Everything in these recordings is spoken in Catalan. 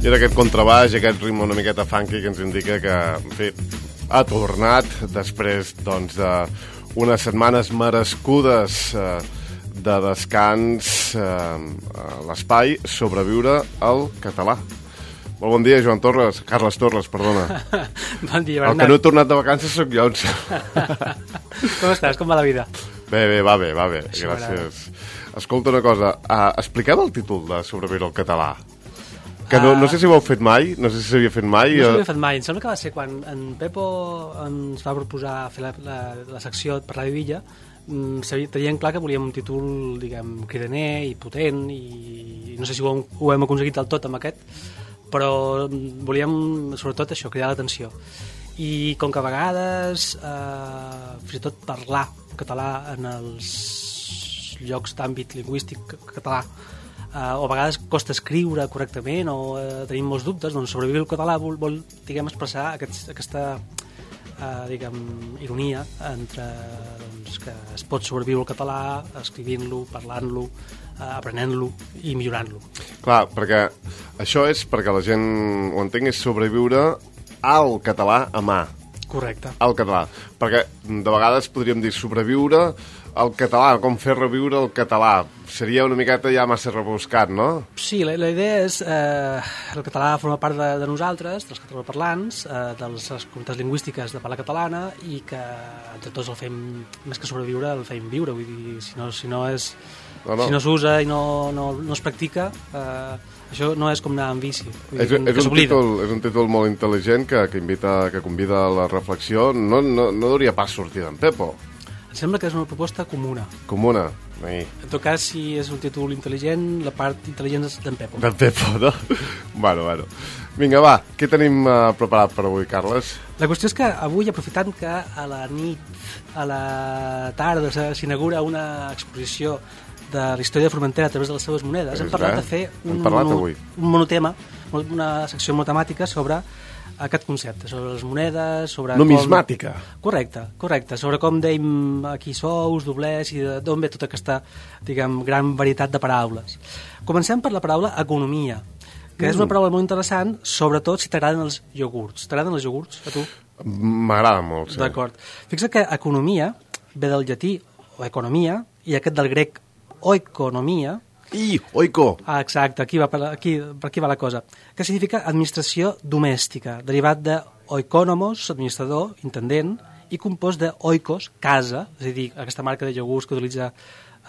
I era aquest contrabaix, aquest ritme una miqueta funky que ens indica que, en fi, ha tornat després doncs, d'unes setmanes merescudes de descans a l'espai Sobreviure al català. Molt bon dia, Joan Torres. Carles Torres, perdona. Bon dia, El Bernat. que no he tornat de vacances sóc jo. Com estàs? Com va la vida? Bé, va bé. Gràcies. Escolta una cosa, expliquem el títol de Sobreviure al català. Que no sé si ho heu fet mai, no sé si s'havia fet mai. No s'havia fet mai. Em sembla que va ser quan en Pepo ens va proposar fer la secció per Ràdio Villa. Tenien clar que volíem un títol, diguem, cridaner i potent, i no sé si ho hem aconseguit del tot amb aquest, però volíem sobretot això, cridar l'atenció. I com que a vegades fins i tot parlar català en els llocs d'àmbit lingüístic català o a vegades costa escriure correctament o tenim molts dubtes, doncs Sobreviure al català vol diguem, expressar aquesta diguem, ironia entre doncs, que es pot sobreviure al català escrivint-lo, parlant-lo, aprenent-lo i millorant-lo. Clar, perquè això és, perquè la gent ho entengui, és sobreviure al català a mà. Correcte. Al català. Perquè de vegades podríem dir sobreviure al català, com fer reviure el català. Seria una miqueta ja massa rebuscat, no? Sí, la idea és el català forma part de nosaltres, dels catalanoparlants, de les comunitats lingüístiques de parla catalana, i que entre tots el fem, més que sobreviure, el fem viure. Vull dir, si no s'usa i no es practica, això no és com anar amb bici. És un títol molt intel·ligent que convida a la reflexió. No hauria pas sortir d'en Pepo. Em sembla que és una proposta comuna. Comuna? En tot cas, si és un títol intel·ligent, la part intel·ligent és d'en Pepo. D'en Pepo, no? Bueno. Vinga, va, què tenim preparat per avui, Carles? La qüestió és que avui, aprofitant que a la nit, a la tarda, s'inaugura una exposició de la història de Formentera a través de les seves monedes, hem parlat de fer un monotema, una secció monotemàtica sobre aquest concepte, sobre les monedes, sobre numismàtica. Correcte, sobre com dèiem aquí sous, doblers, i d'on ve tota aquesta, diguem, gran varietat de paraules. Comencem per la paraula economia, que és una paraula molt interessant, sobretot si t'agraden els iogurts. T'agraden els iogurts, a tu? M'agrada molt, sí. D'acord. Fixa't que economia ve del llatí, o economia, i aquest del grec oikonomia. Oiko. Exacte, per aquí va la cosa. Que significa administració domèstica, derivat de oikonomos, administrador, intendent, i compost de oikos, casa, és a dir, aquesta marca de iogurts que utilitza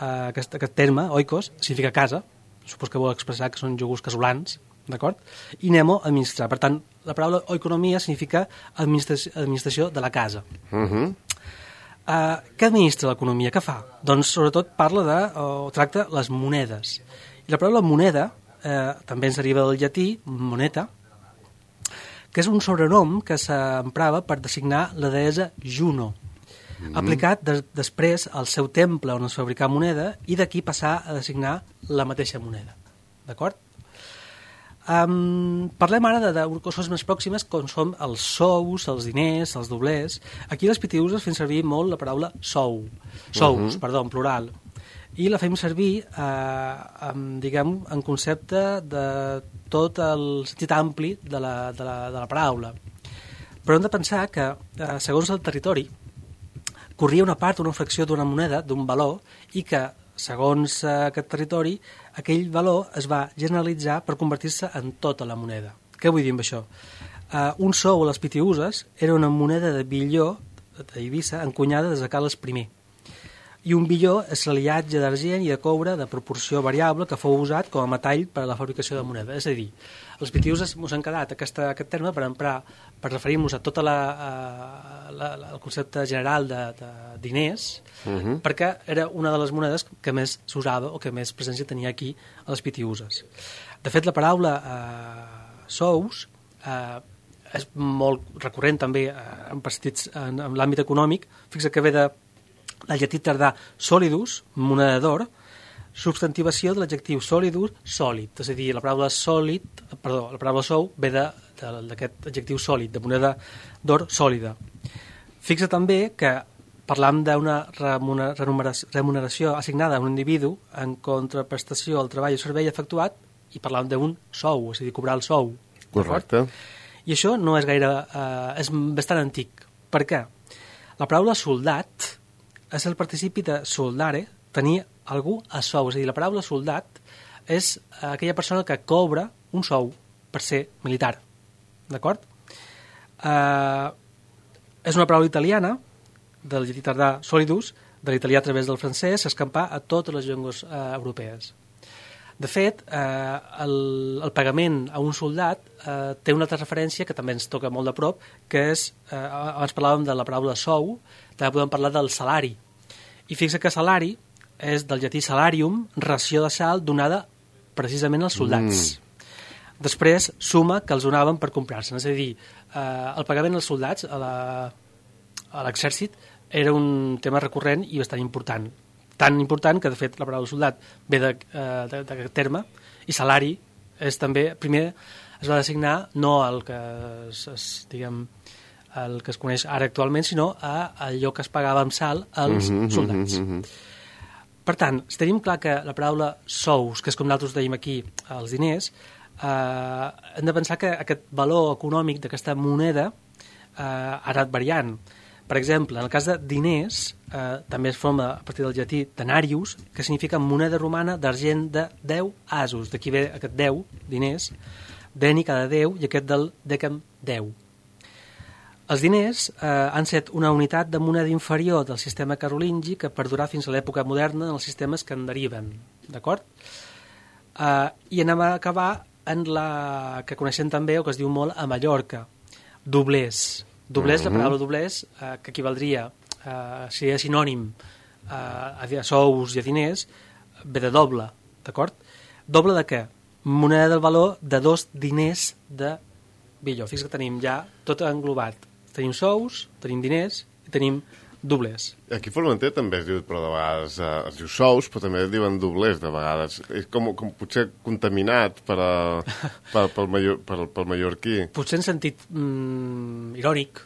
aquest terme, oikos, significa casa, supos que vol expressar que són iogurts casolans, d'acord? I nemo, administrar. Per tant, la paraula oikonomia significa administració de la casa. Què administra l'economia? Què fa? Doncs sobretot tracta les monedes. I la paraula moneda també ens deriva del llatí, moneta, que és un sobrenom que s'emprava per designar la deessa Juno, aplicat després al seu temple on es fabricava moneda, i d'aquí passar a designar la mateixa moneda. D'acord? Parlem ara de coses més pròximes, com són els sous, els diners, els doblers. Aquí les pitiuses fem servir molt la paraula sous, en plural, i la fem servir en concepte de tot el sentit ampli de la paraula. Però hem de pensar que segons el territori corria una part, una fracció d'una moneda, d'un valor, i que segons aquest territori, aquell valor es va generalitzar per convertir-se en tota la moneda. Què vull dir amb això? Un sou a les pitiuses era una moneda de billó d'Eivissa encunyada des de Carles I. I un billó és l'aliatge d'argent i de coure de proporció variable que fou usat com a metall per a la fabricació de moneda. És a dir, els pitiuses ens han quedat aquest terme per referir-nos a tot el concepte general de diners, perquè era una de les monedes que més s'usava o que més presència tenia aquí a les pitiuses. De fet, la paraula sous és molt recurrent també en l'àmbit econòmic. Fixa que ve del llatí tardà solidus, moneda d'or, substantivació de l'adjectiu solidus, sòlid. És a dir, la paraula sou ve d'aquest adjectiu sòlid, de moneda d'or sòlida. Fixa també que parlam d'una remuneració assignada a un individu en contraprestació al treball o servei efectuat, i parlam d'un sou, és a dir, cobrar el sou. Correcte. I això no és gaire... és bastant antic. Per què? La paraula soldat és el participi de soldare, tenir algú a sou. És a dir, la paraula soldat és aquella persona que cobra un sou per ser militar. D'acord? És una paraula italiana, del llatí tardà solidus, de l'italià a través del francès, s'escampà a totes les llengües europees. De fet, el pagament a un soldat té una altra referència que també ens toca molt de prop, que és, abans parlàvem de la paraula sou, també podem parlar del salari. I fixa que salari és del llatí salarium, ració de sal donada precisament als soldats. Després, suma que els donaven per comprar-se. És a dir, el pagament als soldats a l'exèrcit era un tema recurrent i bastant important. Tan important que, de fet, la paraula soldat ve d'aquest terme, i salari és també, primer es va designar no el que el que es coneix ara actualment, sinó a allò que es pagava amb sal als soldats. Per tant, si tenim clar que la paraula sous, que és com nosaltres dèiem aquí, els diners, hem de pensar que aquest valor econòmic d'aquesta moneda ha anat variant. Per exemple, en el cas de diners, també es forma a partir del llatí denarius, que significa moneda romana d'argent de 10 asos. D'aquí ve aquest 10, diners, deni cada 10, i aquest del decem 10. Els diners han set una unitat de moneda inferior del sistema carolingi que perdurà fins a l'època moderna en els sistemes que en deriven. D'acord? I anem a acabar en la que coneixem també, o que es diu molt a Mallorca, doblers. Doblers, la paraula doblers, que equivaldria, seria sinònim a sous i a diners, ve de doble, d'acord? Doble de què? Moneda del valor de 2 diners de billó. Fixa't que tenim ja tot englobat. Tenim sous, tenim diners i tenim doblers. Aquí a Formentera també es diu, però de vegades es diu sous, però també es diuen doblers de vegades. És com potser contaminat pel mallorquí. Potser en sentit irònic,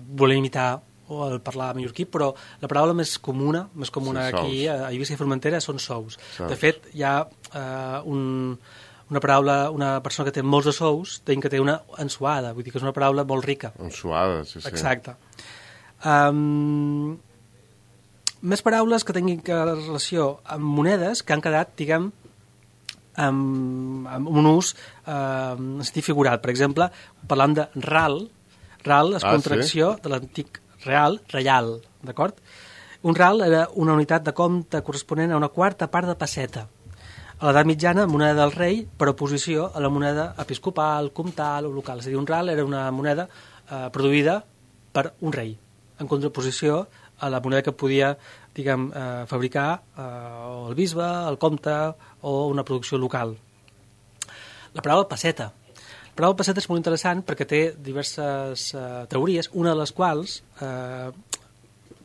voler imitar o el parlar mallorquí, però la paraula més comuna aquí a Eivissa i Formentera són sous. De fet, hi ha una paraula, una persona que té molts de sous, que té una ensuada, vull dir que és una paraula molt rica. Ensuada, sí. Exacte. Més paraules que tinguin relació amb monedes que han quedat, diguem, amb un ús en sentit figurat. Per exemple, parlant de ral. Ral és contracció de l'antic real, reial, d'acord? Un ral era una unitat de compte corresponent a una quarta part de pesseta. A l'edat mitjana, moneda del rei per oposició a la moneda episcopal, comtal o local. És a dir, un ral era una moneda produïda per un rei, en contraposició a la moneda que podia, diguem, fabricar el bisbe, el comte o una producció local. La paraula pesseta. La paraula pesseta és molt interessant perquè té diverses teories, una de les quals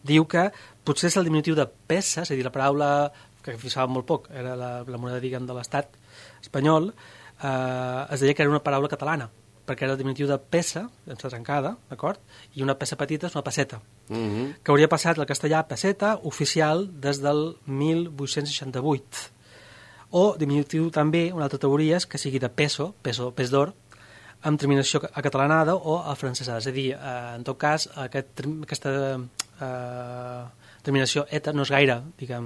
diu que potser és el diminutiu de pesa, és a dir, la paraula que fixava molt poc, era la moneda, diguem, de l'estat espanyol, es deia que era una paraula catalana, perquè era el diminutiu de pesa, sense trencada, d'acord? I una pesa petita és una peseta, que hauria passat al castellà peseta oficial des del 1868. O diminutiu també, una altra teoria és que sigui de peso, pes d'or, amb terminació acatalanada o afrancesada. És a dir, en tot cas, aquesta terminació eta no és gaire, diguem,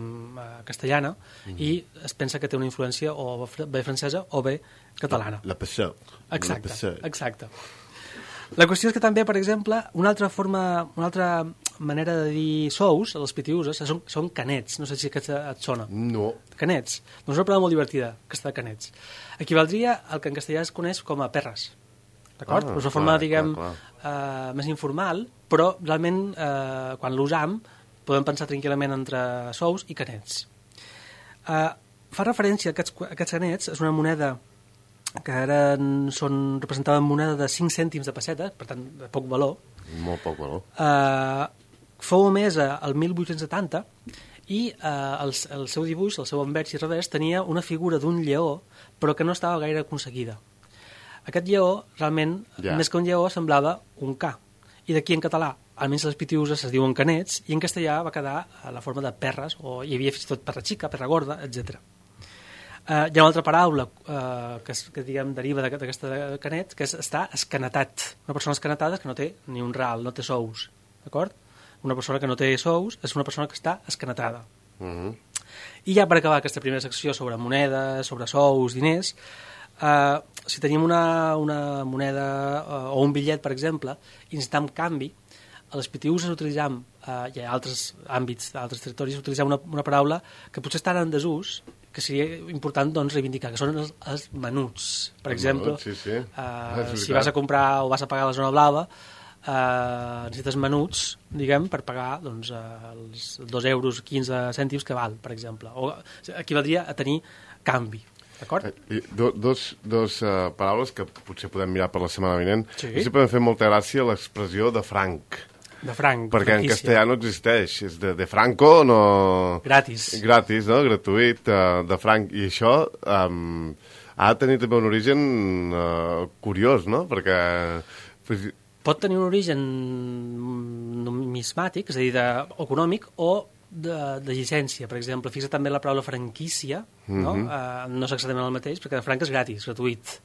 castellana, i es pensa que té una influència o bé francesa o bé catalana. La pesó. Exacte. La qüestió és que també, per exemple, una altra manera de dir sous, a les pitiuses, són canets. No sé si aquest et sona. No. Canets. Doncs és una paraula molt divertida, aquesta de canets. Equivaldria al que en castellà es coneix com a perres. D'acord? És una forma, diguem, més informal, però realment, quan l'usam, podem pensar tranquil·lament entre sous i canets. Fa referència a aquests canets, és una moneda que ara representaven moneda de 5 cèntims de pesseta, per tant, de poc valor. Molt poc valor. Fou emesa el 1870 i el seu dibuix, el seu envers i revers, tenia una figura d'un lleó, però que no estava gaire aconseguida. Aquest lleó, realment, més que un lleó, semblava un ca. I d'aquí en català, almenys les pitiuses es diuen canets, i en castellà va quedar a la forma de perres, o hi havia fins i tot perra xica, perra gorda, etc. Hi ha una altra paraula que diguem, deriva d'aquesta canet, que és estar escanetat. Una persona escanetada és que no té ni un real, no té sous, d'acord? Una persona que no té sous és una persona que està escanetada. I ja per acabar aquesta primera secció sobre monedes, sobre sous, diners, si tenim una moneda o un bitllet, per exemple, i necessitem canvi, a les PTUs utilitzem, i a altres àmbits, d'altres territoris, utilitzem una paraula que potser està en desús, que seria important doncs, reivindicar, que són els menuts. Per exemple, sí. Si vas a comprar o vas a pagar a la zona blava, necessites menuts, diguem, per pagar doncs, els 2 euros 15 cèntims que val, per exemple. O equivaldria a tenir canvi. D'acord? Dos paraules que potser podem mirar per la setmana vinent. Sí. I sempre m'ha fet molta gràcia l'expressió de franc. De franc. Perquè en castellà no existeix. És de franco, no... Gratis. Gratis, no? Gratuït, de franc. I això ha de tenir també un origen curiós, no? Perquè... Pot tenir un origen numismàtic, és a dir, econòmic, o de llicència. Per exemple, fixa també la paraula franquícia, no? No és exactament el mateix, perquè de franc és gratis, gratuït.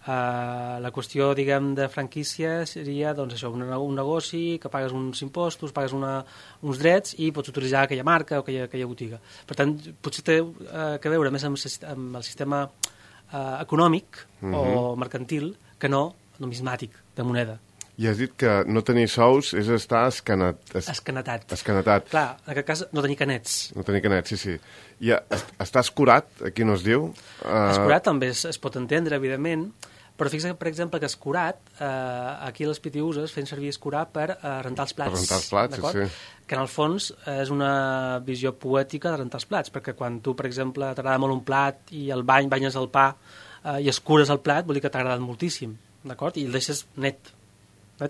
La qüestió, diguem, de franquícia seria, doncs, això, un negoci que pagues uns impostos, pagues uns drets i pots utilitzar aquella marca o aquella botiga. Per tant, potser té que veure més amb el sistema econòmic o mercantil que no numismàtic, de moneda. I has dit que no tenir sous és estar escanetat. Escanetat. Clar, en aquest cas no tenir canets. No tenir canets, sí. I està escurat, aquí no es diu? Escurat també es pot entendre, evidentment, però fixa, per exemple, que escurat, aquí les PTUs fent servir escurar per rentar els plats. Per rentar els plats, sí. Que en el fons és una visió poètica de rentar els plats, perquè quan tu, per exemple, t'agrada molt un plat i el banyes el pa i escures el plat, vol dir que t'ha agradat moltíssim, d'acord? I el deixes net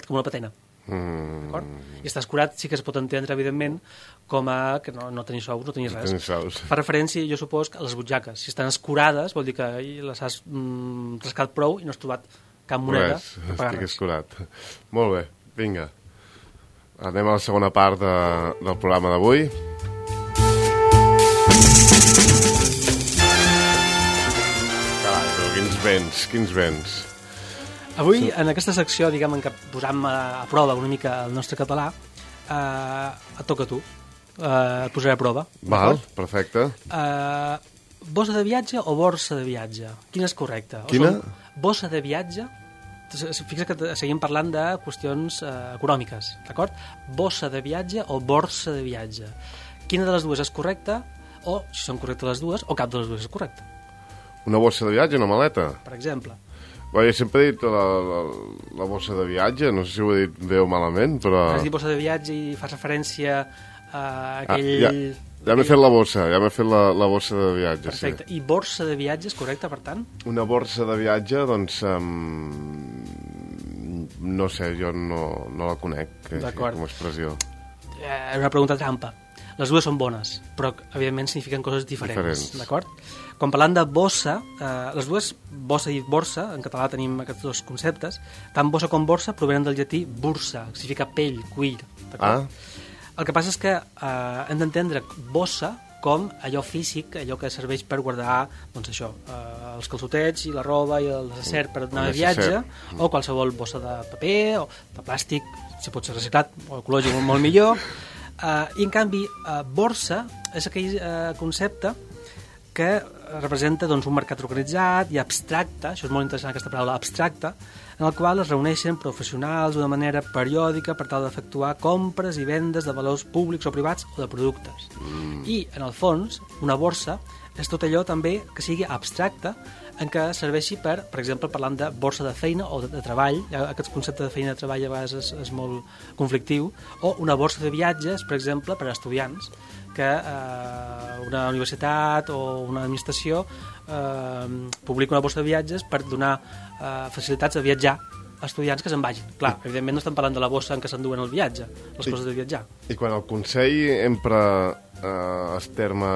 com una patena. I estar escurat sí que es pot entendre, evidentment, com a que no tenir sous, no tenir res. Fa referència, jo supos, a les butxaques. Si estan escurades, vol dir que les has rascat prou i no has trobat cap moneda per pagar res. Escurat. Molt bé, vinga. Anem a la segona part del programa d'avui. Carai, quins vents. Avui, en aquesta secció, diguem, en què posam a prova una mica el nostre català, et toca a tu. Et posaré a prova. Val, perfecte. Bossa de viatge o borsa de viatge? Quina és correcta? Quina? Bossa de viatge. Fixa que seguim parlant de qüestions econòmiques, d'acord? Bossa de viatge o borsa de viatge. Quina de les dues és correcta? O, si són correctes les dues, o cap de les dues és correcta. Una bossa de viatge, una maleta? Per exemple. Jo sempre he dit la bossa de viatge, no sé si ho he dit bé o malament, però... Has dit bossa de viatge i fas referència a aquell... Ja m'he fet la bossa, la bossa de viatge. Perfecte. Sí. I borsa de viatge és correcte, per tant? Una borsa de viatge, doncs... no sé, jo no la conec com a expressió. És una pregunta trampa. Les dues són bones, però evidentment signifiquen coses diferents. D'acord? Quan parlant de bossa, les dues, bossa i borsa, en català tenim aquests dos conceptes, tant bossa com borsa provenen del llatí bursa, que significa pell, cuir. D'acord? El que passa és que hem d'entendre bossa com allò físic, allò que serveix per guardar, doncs això, els calçotets i la roba i el necesser per anar de viatge, o qualsevol bossa de paper o de plàstic, si pot ser reciclat o ecològic molt millor. I en canvi, borsa és aquell concepte que representa doncs, un mercat organitzat i abstracte, això és molt interessant aquesta paraula, abstracte, en el qual es reuneixen professionals d'una manera periòdica per tal d'efectuar compres i vendes de valors públics o privats o de productes. I, en el fons, una borsa és tot allò també que sigui abstracte, en què serveixi per exemple, parlant de borsa de feina o de treball, aquest concepte de feina i de treball a vegades és molt conflictiu, o una borsa de viatges, per exemple, per a estudiants, que una universitat o una administració publica una borsa de viatges per donar facilitats de viatjar estudiants que se'n vagin. Clar, evidentment no estem parlant de la bossa en què s'enduen el viatge, les coses de viatjar. I quan el Consell empra el terme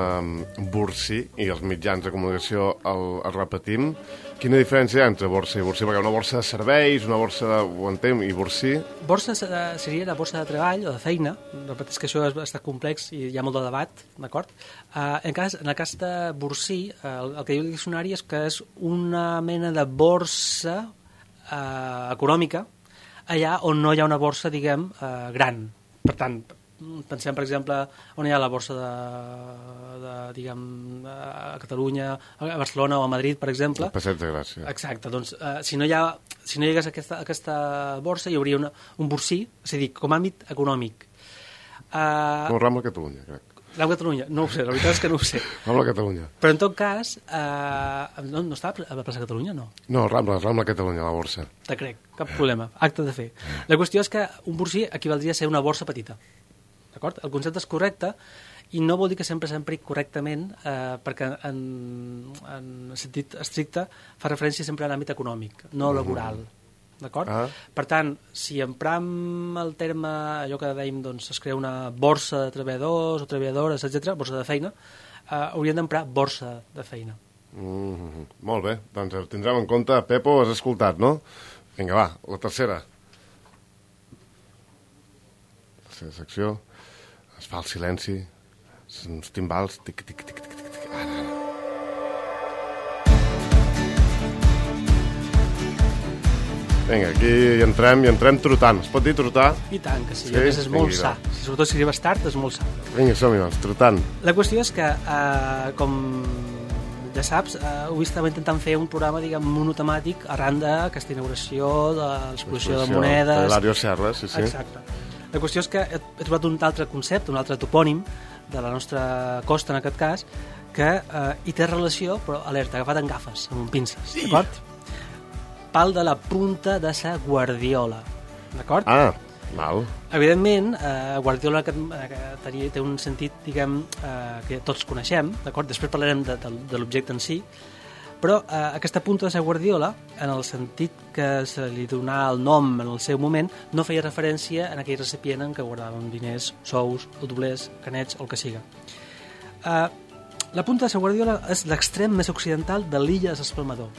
borcí i els mitjans de comunicació el repetim, quina diferència hi ha entre borsa i borcí? Perquè una borsa de serveis, una borsa de... ho entenc, i borcí... Borsa seria la borsa de treball o de feina, repeteix que això està complex i hi ha molt de debat, d'acord? En el cas de borcí, el que diu el diccionari és que és una mena de borsa econòmica allà on no hi ha una borsa, diguem, gran. Per tant, pensem, per exemple, on hi ha la borsa diguem, a Catalunya, a Barcelona o a Madrid, per exemple. El Passeig de Gràcia. Exacte, doncs si no hi hagués aquesta borsa hi hauria un borcí, és a dir, com a àmbit econòmic. Com Rambla Catalunya, crec. Rambla Catalunya, no ho sé, la veritat és que no ho sé. Rambla Catalunya. Però en tot cas, no està a la plaça Catalunya, no? No, Rambla Catalunya, la borsa. Te crec, cap problema, acte de fer. La qüestió és que un borcí equivaldria a ser una borsa petita. D'acord? El concepte és correcte i no vol dir que sempre s'empri correctament perquè en sentit estricte fa referència sempre a l'àmbit econòmic, no laboral. D'acord? Per tant, si empram el terme, allò que dèiem, doncs, es crea una borsa de treballadors o treballadores, etc., borsa de feina, hauríem d'emprar borsa de feina. Molt bé, doncs ho tindrem en compte. Pepo, has escoltat, no? Vinga, va, la tercera. La tercera secció. Es fa el silenci, uns timbals, tic, tic, tic, tic, tic, tic. Ara. Vinga, aquí hi entrem trotant. Es pot dir trotar? I tant, que sí, a més és molt sa. Sobretot si arribes tard, és molt sa. Vinga, som-hi, doncs, trotant. La qüestió és que, com ja saps, ho estava intentant fer un programa, diguem, monotemàtic arran d'aquesta inauguració de l'exposició de monedes. De Hilario Serra, sí, sí. Exacte. La qüestió és que he trobat un altre concepte, un altre topònim de la nostra costa, en aquest cas, que hi té relació, però alerta, agafat en gafes, amb pinces, d'acord? Pal de la punta de sa Guardiola, d'acord? Ah, val. Evidentment, Guardiola té un sentit, diguem, que tots coneixem, d'acord? Després parlarem de l'objecte en si, però aquesta punta de sa Guardiola, en el sentit que se li donà el nom en el seu moment, no feia referència a aquell recipient en què guardàvem diners, sous, doblers, canets o el que siga. La punta de sa Guardiola és l'extrem més occidental de l'illa de s'Espalmador,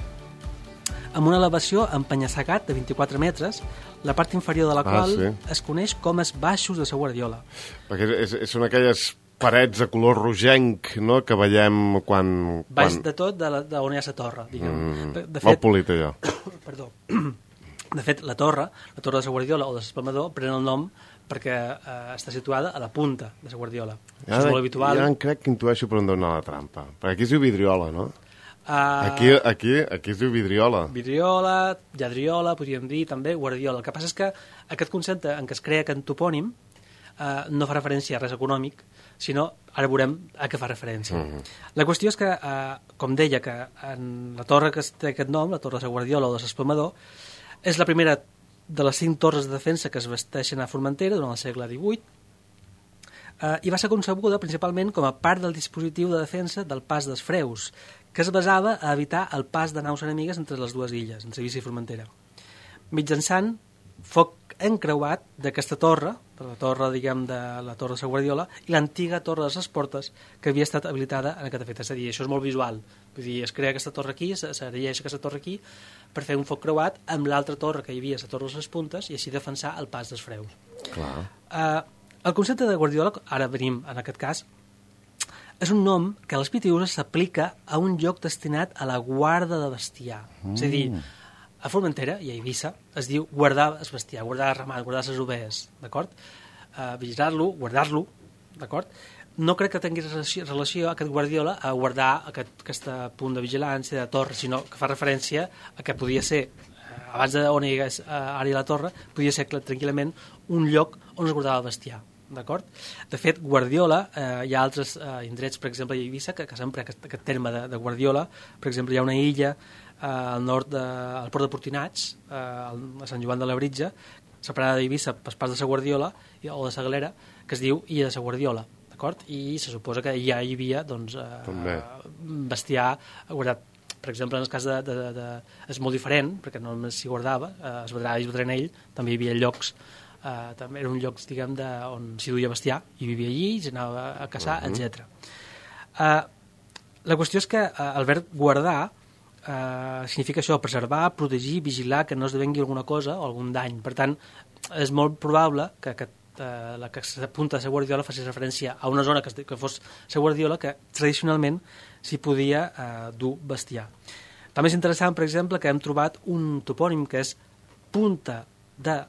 amb una elevació en penya-segat de 24 metres, la part inferior de la qual es coneix com els baixos de sa Guardiola. Perquè són aquelles parets de color rogenc, no?, que veiem quan... Baix de tot, d'on hi ha la torre, diguem. Molt polit, allò. Perdó. De fet, la torre de sa Guardiola o de s'Espalmador, pren el nom perquè està situada a la punta de sa Guardiola. Això és molt habitual. Ja crec que intueixo per on dona la trampa. Perquè aquí es diu vidriola, no? Aquí es diu vidriola. Vidriola, lladriola, podríem dir també, guardiola. El que passa és que aquest concepte en què es crea aquest topònim no fa referència a res econòmic, sinó, ara veurem a què fa referència. La qüestió és que, com deia, que en la torre que té aquest nom, la torre de sa Guardiola o de s'Espalmador, és la primera de les 5 torres de defensa que es vesteixen a Formentera durant el segle XVIII, i va ser concebuda principalment com a part del dispositiu de defensa del pas dels Freus, que es basava a evitar el pas de naus enemigues entre les dues illes, entre Eivissa i Formentera. Mitjançant foc encreuat d'aquesta torre, de la torre, diguem, de la torre de sa Guardiola, i l'antiga torre de ses Portes, que havia estat habilitada en aquest efecte. És a dir, això és molt visual. Vull dir, es crea aquesta torre aquí, s'erigeix aquesta torre aquí, per fer un foc creuat amb l'altra torre que hi havia, la torre de les Puntes, i així defensar el pas dels Freus. Clar. El concepte de Guardiola, ara venim en aquest cas, és un nom que a les Pitiüses s'aplica a un lloc destinat a la guarda de bestiar. És a dir, a Formentera i a Eivissa es diu guardar el bestiar, guardar el ramat, guardar les ovelles, d'acord? Vigilar-lo, guardar-lo, d'acord? No crec que tingui relació aquest Guardiola a guardar aquest punt de vigilància, de torre, sinó que fa referència a que podia ser, abans d'on hi hagués ara la torre, podia ser tranquil·lament un lloc on es guardava el bestiar. D'acord? De fet, Guardiola, hi ha altres indrets, per exemple, a Eivissa, que s'empra aquest terme de Guardiola. Per exemple, hi ha una illa al nord al port de Portinats, a Sant Joan de la Britja, separada d'Eivissa pel pas de sa Guardiola o de sa Galera, que es diu Illa de sa Guardiola. D'acord? I se suposa que ja hi havia doncs, bestiar guardat. Per exemple, en el cas és molt diferent, perquè no només s'hi guardava, es Vedrà ell, també hi havia llocs, també eren llocs, diguem, on s'hi duia bestiar, i vivia allí, i s'anava a caçar, etc. La qüestió és que el verb guardar significa això, preservar, protegir, vigilar, que no esdevengui alguna cosa o algun dany. Per tant, és molt probable que la que s'apunta a la guardiola faci referència a una zona que fos la guardiola que tradicionalment s'hi podia dur bestiar. També és interessant, per exemple, que hem trobat un topònim que és punta de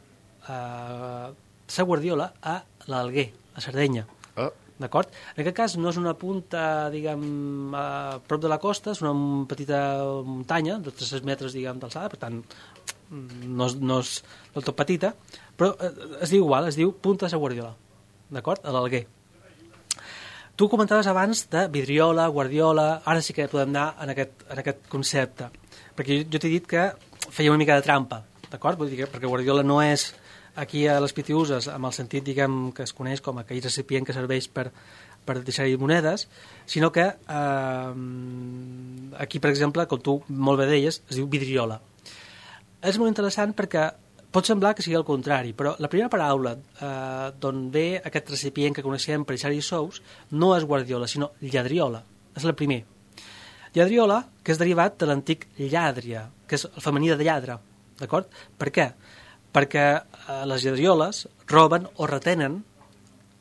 la guardiola a l'Alguer, a Sardenya. D'acord? En aquest cas no és una punta, diguem, a prop de la costa, és una petita muntanya, de 300 metres, diguem, d'alçada, per tant, no és del tot petita, però es diu igual, es diu punta de la Guardiola, d'acord? A l'Alguer. Tu comentaves abans de vidriola, guardiola, ara sí que podem anar en aquest concepte, perquè jo t'he dit que feia una mica de trampa, d'acord? Vull dir que perquè guardiola no és aquí a les Pitiüses, amb el sentit, diguem, que es coneix com aquell recipient que serveix per deixar-hi monedes, sinó que aquí, per exemple, com tu molt bé deies, es diu vidriola. És molt interessant perquè pot semblar que sigui el contrari, però la primera paraula d'on ve aquest recipient que coneixem per deixar-hi sous no és guardiola, sinó lladriola. És el primer. Lladriola, que és derivat de l'antic llàdria, que és el femení de lladre. D'acord? Per què? Perquè les lladrioles roben o retenen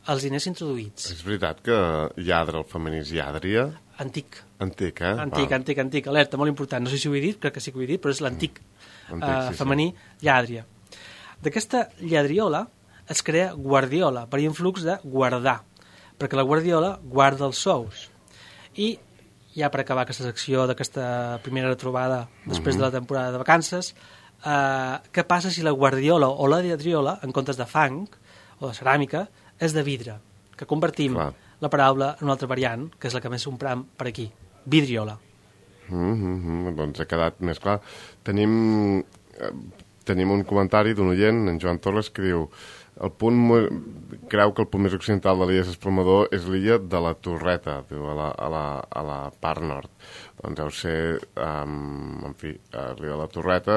els diners introduïts. És veritat que lladre, el femení és llàdria? Antic. Antic, eh? Antic. Alerta, molt important. No sé si ho he dit, crec que sí que ho he dit, però és l'antic femení llàdria. D'aquesta lladriola es crea guardiola, per influx de guardar, perquè la guardiola guarda els sous. I ja per acabar aquesta secció d'aquesta primera retrobada després de la temporada de vacances, què passa si la guardiola o la lladriola, en comptes de fang o de ceràmica, és de vidre, que convertim la paraula en una altra variant, que és la que més empram per aquí, vidriola. Doncs ha quedat més clar. Tenim un comentari d'un oient, en Joan Torres, que diu creu que el punt més occidental de l'illa Espalmador és l'illa de la Torreta, diu, a la part nord. Doncs deu ser, en fi, l'illa de la Torreta,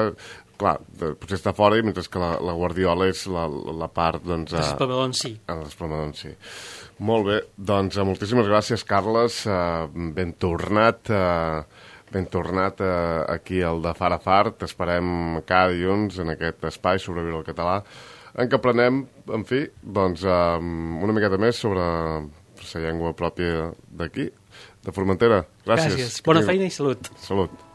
clar, potser està fora, mentre que la Guardiola és la part, doncs... L'Espalmador en si. L'Espalmador en si. Molt bé, doncs moltíssimes gràcies, Carles, ben tornat aquí al de Far a Far. T'esperem cada dilluns en aquest espai Sobreviure al català, en què aprenem, en fi, doncs una miqueta més sobre la llengua pròpia d'aquí, de Formentera. Gràcies. Bona feina i salut. Salut.